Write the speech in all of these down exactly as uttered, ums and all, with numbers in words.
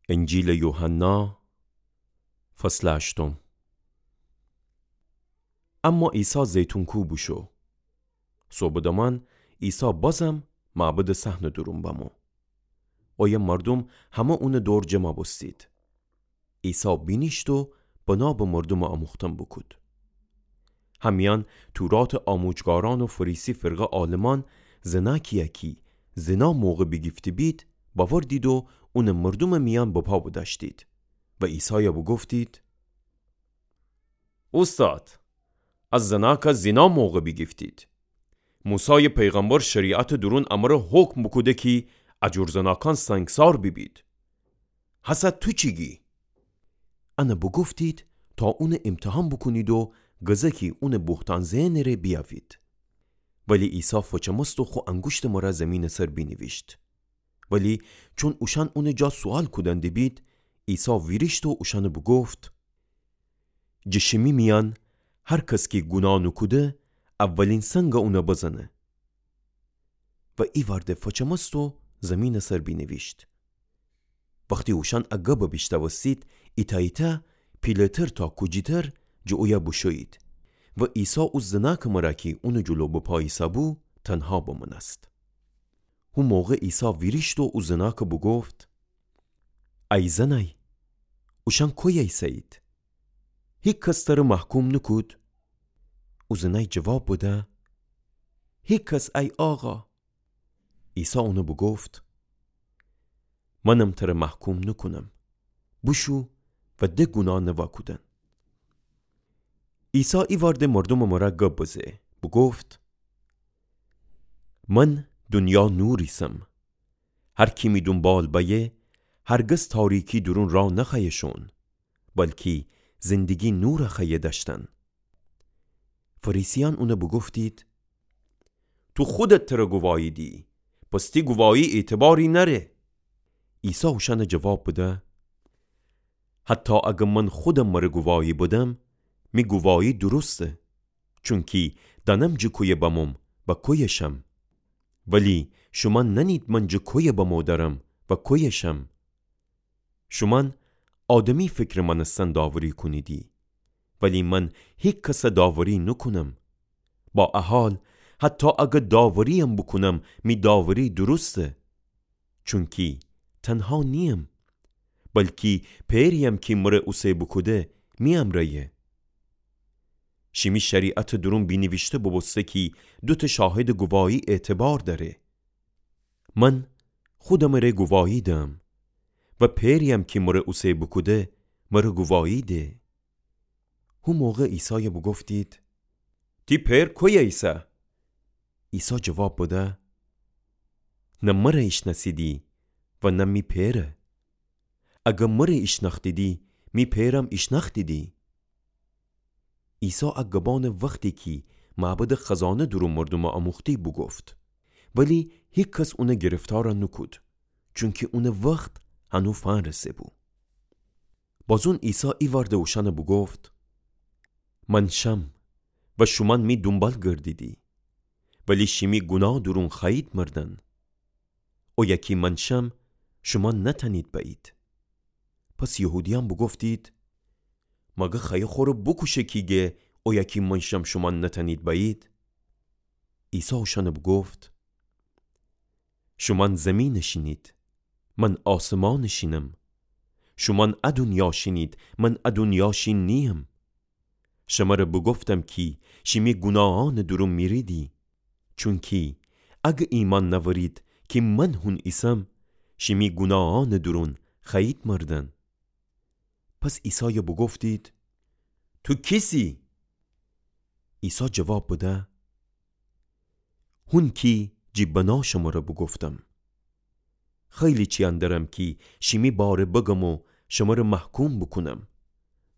انجیلٚ یوحنا، فصلٚ هشتم. اما عیسی زیتون کوه بوشو. صبحٚ دمأن عیسی بازم معبدٚ صحنٚ دورون بمو. اویه مردوم همه اونٚ دور جمع بوستید. عیسی بینیشت و بنا به مردومٚ آموختن بوکود. همیأن توراتٚ آموجگارأن و فریسی فرقه عالمأن زنأکیی کی زنا موقع بیگیفته بید، بأوردید و اونٚ مردومٚ میأن بپا بدأشتید و عیسای بوگفتید: اوستاد، ا زنأک زنا موقع بیگیفتید. موسایٚ پیغمبر شریعتٚ دورون امر حکم بوکوده کی ا جور زنأکأن سنگسار بیبید. هسه تو چی گی؟ ان بوگفتید تا اون امتحان بوکونید و گزه کی اون بهتان زئنٚ ره بیأوید. ولی عیسی فچمست و خو انگوشتٚ مره زیمینٚ سر بینیویشت. ولی چون اوشأن اونٚ جا سوأل کودن دیبید، عیسی ویریشت و اوشأن بوگفت: جٚه شیمی میأن هر کس کی گونا نوکوده، اولین سنگ اون بزنه. و ایوأرده فچمست و زیمینٚ سر بینیویشت. وختی اوشأن ا گب بیشنوستید، ایتأ ایتأ، پیله‌تر تا کوجیتر، جٚه اویه بوشویید. و عیسی او زنأکٚ مره کی اونٚ جلو بپا ایسه‌بو، تنها بمأنست. هو موقع عیسی ویریشت و او زنأک بوگفت: ای زنأی، اوشأن کویه ایسه‌یید؟ هیکس تر محکوم نوکود؟ او زنأی جواب بده: هیکس، ای آقا. عیسی اون بوگفت: منم تر محکوم نوکونم. بوشو و د گونا نوا کودن. عیسی ایوأرده مردومٚ مره گب بزه، بوگفت: من دونیا نور ایسم. هر کی می دونبال بأیه، هرگز تاریکی دورون راه نخوأیه شون، بلکی زندگی نور خوأیه دأشتن. فریسیأن اون بوگفتید: تو خودت تر گواهی دیی، پس تی گواهی اعتباری نأره. عیسی اوشأن جواب بده: حتی اگر من خودم مر گواهی بدم، می گواهی درسته، چونکی دأنم جٚه کویه بموم و کویه شم. ولی شومأن نأنید من جٚه کویه بمو درم و کویه شم. شومأن آدمی فکرٚ مأنستن داوری کونیدی، ولی من هیکس داوری نوکونم. با ا حال، حتی اگر داورییم بوکونم، می داوری درسته، چونکی تنها نییم، بلکی پئرییم کی مر اوسه بوکوده می امرأیه. شیمی شریعتٚ دورون بینیویشته بوبوسته کی دوتأ شاهدٚ گواهی اعتبار دأره. من خودمٚ ره گواهی دم و پئرییم کی مر اوسه بوکوده مر گواهی ده. هو موقع عیسای بوگفتید: تی پئر کویه ایسه؟ عیسی جواب بده: نه مر ایشنأسیدی و نه می پئر. اگر مر ایشنأختیدی، می پئرم ایشنأختیدی. عیسی ا گبأن وختی کی معبدٚ خزانه دورون مردوم آموختی بوگفت، ولی هیکس اون گرفتار نوکود، چونکی اون وخت هنو فنرسه‌بو. بازون عیسی ایوأرده اوشأن بوگفت: من شم و شومأن می دونبال گردیدی، ولی شیمی گونا دورون خوأیید مردن. اویه کی من شم، شومأن نتأنید بأیید. پس یهودیأن بوگفتید: مگر خوأیه خوره بوکوشه کی گه اویه کی من شم، شومأن نتأنید بأیید؟ عیسی اوشأن بوگفت: شومأن زیمینٚ شینید، من آسمانٚ شینم. شومأن ا دونیا شینید، من ا دونیا شین نییم. شمر بوگفتم کی شیمی گوناهأنٚ دورون میریدی، چونکی اگر ایمأن نأورید کی من هون ایسم، شیمی گوناهأنٚ دورون خوأیید مردن. پس عیسای بوگفتید: تو کیسی؟ عیسی جواب بده: هون کی جی بنا شمر بوگفتم. خیلی چیأن درم کی شیمی باره بگم و شمر محکوم بوکونم،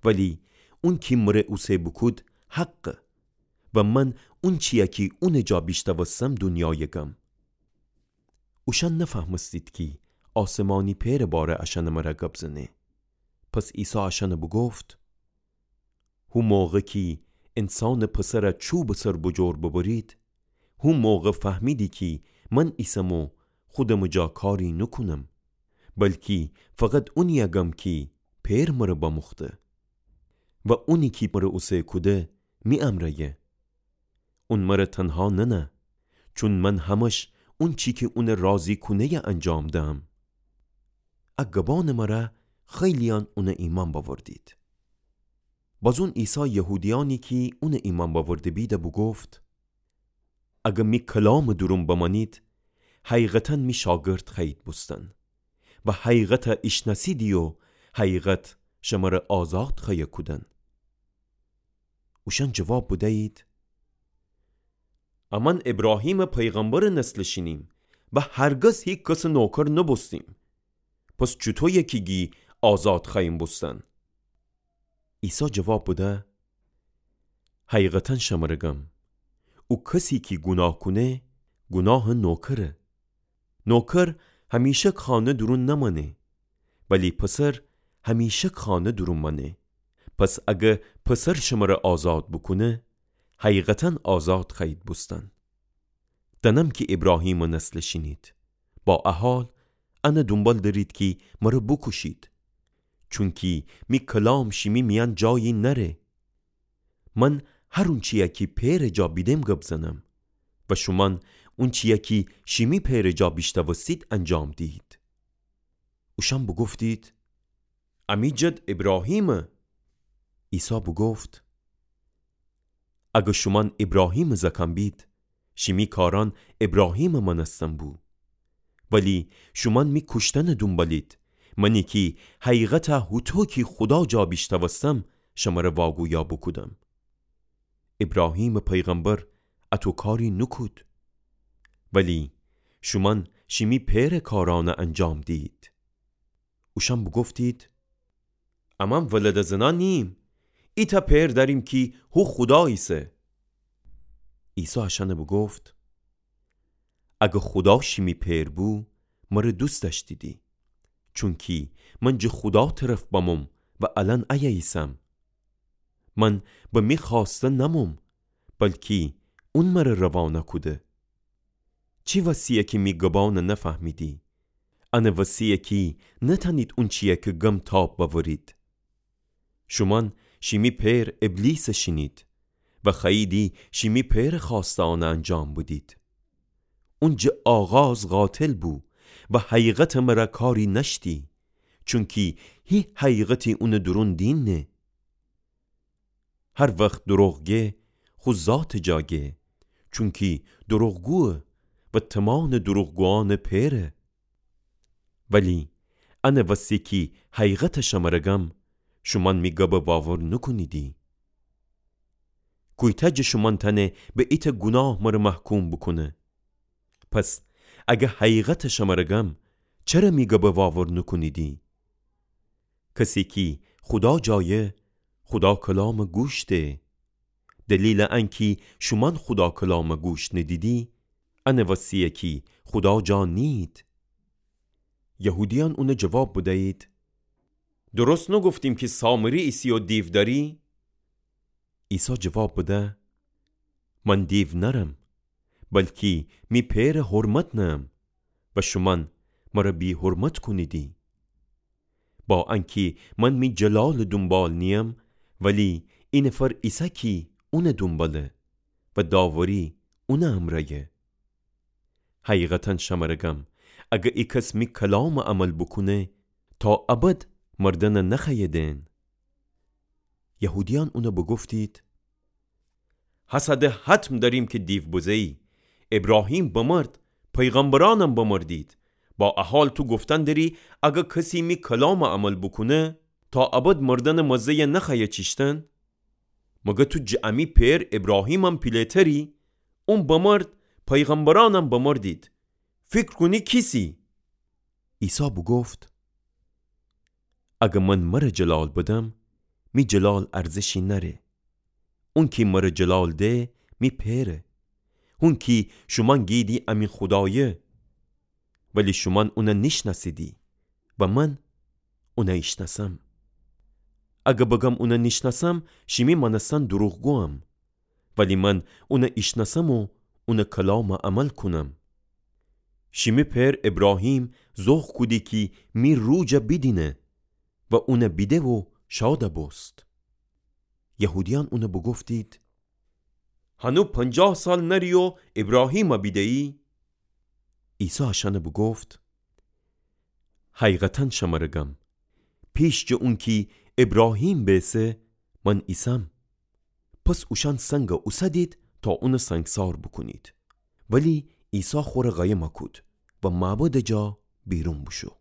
ولی اون کی مر اوسه بوکود حقه و من اون چیی کی اونٚ جا بیشنوستم دونیای گم. اوشأن نفهمستید کی آسمانی پئرٚ باره اشأنٚ مره گب زنه. پس عیسی اشأن بوگفت: هو موقع کی انسانٚ پسر چوبٚ سر بجور ببرید، هو موقع فهمیدی کی من ایسم و خودمٚ جا کاری نوکونم، بلکی فقط اونیَ گم کی پئر مرَ بموخته. و اونی کی مرَ اوسه کوده می امرأیه. اون مرَ تنها ننه، چون من همش اونچی کی اونَ راضی کونه‌یَ انجام دهم. ا گبانٚ مرا خیلییان اونَ ایمأن بأوردید. بازون عیسی یهودیأنی کی اونَ ایمأن بأورده بیدَ بوگفت: اگر می کلامٚ دورون بمأنید، حقیقتاً می شاگرد خوأیید بوستن و حقیقتَ ایشنأسیدی و حقیقت شمرَ آزاد خوأیه کودن. اوشأن جواب بدیید: امأن ایبراهیمٚ پیغمبرٚ نسلٚ شینیم و هرگز هیکسٚ نوکر نوبوستیم. پس چوطویه کی گی آزاد خوأییم بوستن؟ عیسی جواب بده: حقیقتاً شمرَ گم، او کسی کی گوناه کونه، گوناهٚ نوکره. نوکر همیشک خانه دورون نمأنه، ولی پسر همیشک خانه دورون مأنه. پس اگر پسر شمرَ آزاد بوکونه، حقیقتاً آزاد خوأیید بوستن. دأنم کی ایبراهیمٚ نسلٚ شینید، با ا حال انٚ دونبال دأرید کی مرَ بوکوشید. چونکی می کلام شیمی میأن جایی نأره. من هر اونچیی کی پئرٚ جا بیدم گب زنم و شومأن اونچیی کی شیمی پئرٚ جا بیشنوستید انجام دیهید. اوشأن بوگفتید: امی جد ایبراهیمه. عیسی بوگفت: اگر شومأن ایبراهیمٚ زأکأن بید، شیمی کارأن ایبراهیمٚ مأنستن بو. ولی شومأن می کوشتنٚ دونبالید، منی کی حقیقتَ هوطو کی خودا جا بیشنوستم شمرَ واگویا بوکودم. ایبراهیمٚ پیغمبر اطو کاری نوکود، ولی شومأن شیمی پئرٚ کارأنَ انجام دیهید. اوشأن بوگفتید: امأن ولدٚ زنأن نیییم، ایتأ پئر دأریم کی هو خودا ایسه. عیسی اشأنَ بوگفت: اگر خودا شیمی پئر بو، مرَ دوست دأشتیدی، چونکی من جٚه خودا طرف بموم و الأن ایه ایسم. من به می خوأسته نموم، بلکی اون مرَ روانه کوده. چی وسه‌یه کی می گبأنَ نفهمیدی؟ انٚ وسه‌یه کی نتأنید اونچیی کی گم تاب بأورید. شومأن شیمی پئر ابلیسَ شینید و خوأییدی شیمی پئرٚ خوأسته‌یأنَ انجام بدید. اون جٚه آغاز قاتل بو و حقیقتٚ مرَ کاری نأشتی، چونکی هی حقیقتی اونٚ دورون دینه. هر وخت دروغ گه، خو ذاتٚ جا گه، چونکی دروغگویه و تمأنٚ دروغگویأنٚ پئره. ولی انٚ وسه کی حقیقتَ شمرَ گم، شومأن می گبَ واور نوکونیدی. کویتأ جٚه شومأن تأنه به ایتأ گوناه مرَ محکوم بوکونه؟ پس اگر حقیقتَ شمرَ گم، چره می گبَ واور نوکونیدی؟ کسی کی خودا جایه، خودا کلامَ گوش ده. دلیلٚ انکی شومأن خودا کلامَ گوش ندیدی، انٚ وسه‌یه کی خودا جا نیید. یهودیأن اونَ جواب بدیید: درست نوگفتیم کی سامری ایسی و دیو دأری؟ عیسی جواب بده: من دیو نأرم، بلکی می پئرٚ حرمت نهم و شومأن مرَ بی‌حرمت کونیدی. با انکی من می جلالٚ دونبال نییم، ولی ای نفر ایسه کی اونٚ دونباله و داوری اونٚ امرأیه. حقیقتاً شمرَ گم، اگر ایکس می کلامَ عمل بوکونه، تا ابد مردنَ نخوأیه دئن. یهودیأن اونَ بوگفتید: هسه ده حتم دأریم کی دیو بزه‌یی. ایبراهیم بمرد، پیغمبرأنم بمردید. با ا حال تو گفتن دری، اگر کسی می کلامَ عمل بوکونه، تا ابد مردنٚ مزه‌یَ نخوأیه چیشتن؟ مگر تو جٚه امی پئر ایبراهیمم پیله‌تری؟ اون بمرد، پیغمبرأنم بمردید. فیکر کونی کیسی؟ عیسی بوگفت: اگر من مرَ جلال بدم، می جلال ارزشی نأره. اونکی مرَ جلال ده، می پئره. هونکی شومأن گیدی امی خودایه، ولی شومأن اونَ نیشنأسیدی و من اونَ ایشنأسم. اگر بگم اونَ نیشنأسم، شیمی مأنستن دروغگویم. ولی من اونَ ایشنأسم و اونٚ کلامَ عمل کونم. شیمی پئر ایبراهیم زوخ کودی کی می روح جا بیدینه و اون بیده و شاد بوست. یهودیأن اون بوگفتید: هنو پنجاه سال نری و ایبراهیم بیده‌یی؟ عیسی اشأن بوگفت: حقیقتاً شمر گم، پیش جٚه اونکی ایبراهیم بیسه، من ایسم. پس اوشأن سنگ اوسدید تا اون سنگسار بوکونید. ولی عیسی خور قایم کود و معبد جا بیرون بوشو.